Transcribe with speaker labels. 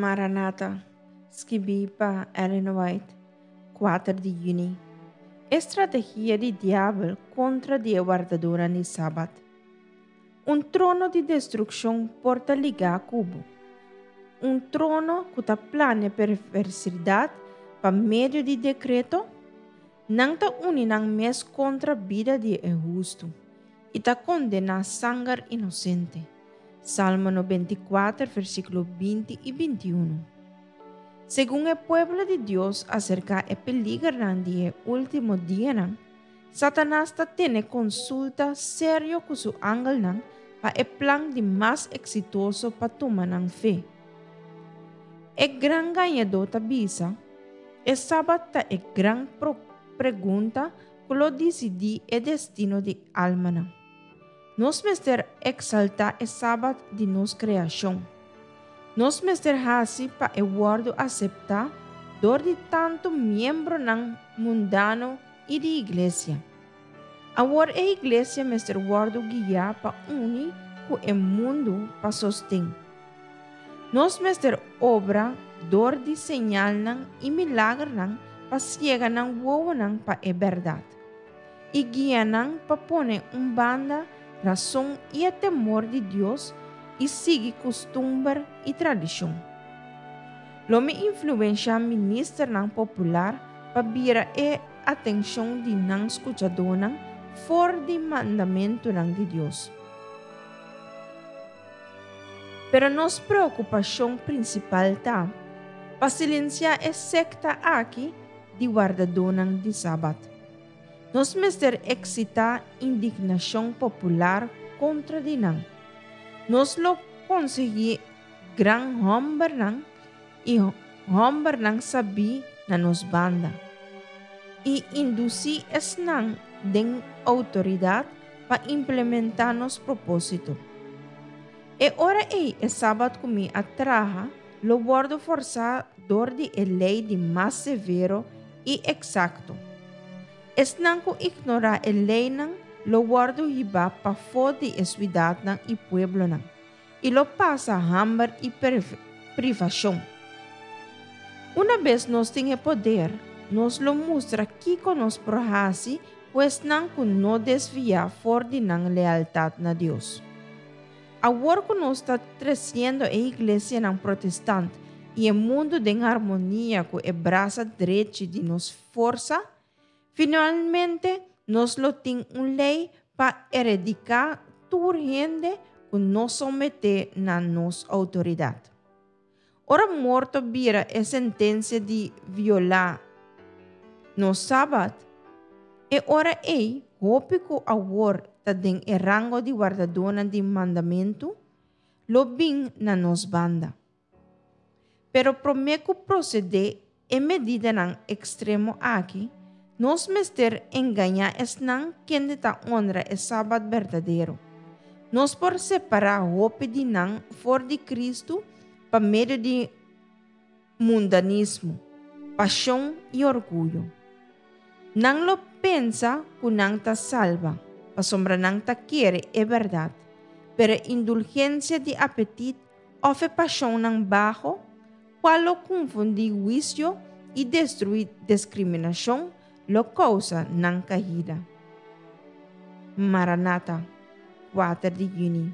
Speaker 1: Maranata, skibí pa Ellen White, 4 di yüni. E strategia di diabel kontra di e wardadónan di Sabat. Un trono di destrukshon por ta ligá ku bo. Un trono ku ta plania perversidat pa medio di dekreto? Nan ta uni nan mes kontra bida di e hustu i ta kondená sanger inosente. Salmo 94, versíkulo 20 i 21. Segun e pueblo di Dios aserká e peligernan di e último dianan, Satanas ta tene konsulta serio ku su angelnan pa e plan di mas eksitoso pa tuma nan fe. E gran gañadó ta bisa, E Sabat ta e gran pregunta ku lo disidí e destino di almanan. Nos mester eksaltá e Sabat di nos kreashon. Nos mester hasi pa e wòrdu aseptá dor di tantu miembronan mundano i di iglesia. Awor e iglesia mester wòrdu guiá pa uni ku e mundu pa sosten. Nos mester obra dor di señalnan i milagernan pa siega nan wowonan pa e bèrdat, i guia nan pa pone un banda rason i e temor di Dios i sigui kustumber i tradishon. Lo mi influenshá ministernan popular pa bira e atenshon di nan skuchadónan for di mandamentunan di Dios. Pero nos preokupashon prinsipal ta pa silensiá e sekta aki di wardadónan di Sabat. Nos mester eksitá indignashon popular kontra di nan. Nos lo konsiguí gran hòmbernan i hòmbernan sabí na nos banda, i indusí esnan den outoridat pa implementá nos propósito. E ora ei e Sabat ku mi a traha lo wòrdu forsá dor di e lei di mas severo i eksakto. Esnan ku ignorá e leinan lo wòrdu hibá pafó di e suidatnan i pueblonan, i lo pasa hamber i privashon. Unabes nos tin e poder, nos lo mustra kiko nos por hasi ku esnan ku no desviá for di nan lealtat na Dios. Awor ku nos ta tresiendo e iglesianan protestant i e mundu den harmonia ku e brasa drechi di nos forsa, finalmente nos lo tin un lei pa erediká tur hende ku no someté na nos outoridat. Ora morto bira e sentensia di violá nos Sabat, e ora ei hopi ku awor ta den e rango di wardadónan di mandamentu lo bin na nos banda. Pero promé ku prosedé e medidanan ekstremo aki, nos mester engañá esnan kende ta honra e Sabat berdadero. Nos por separá hopi di nan for di Kristu pa medio di mundanismo, pashon i orguyo. Nan lo pensa ku nan ta salba, pasobra nan ta kere e bèrdat, pero e indulgensia di apetit òf e pashonnan baho, Cual lo confundí huicio i destruí discriminacion lo causa nan caída. Maranata, 4 di juni.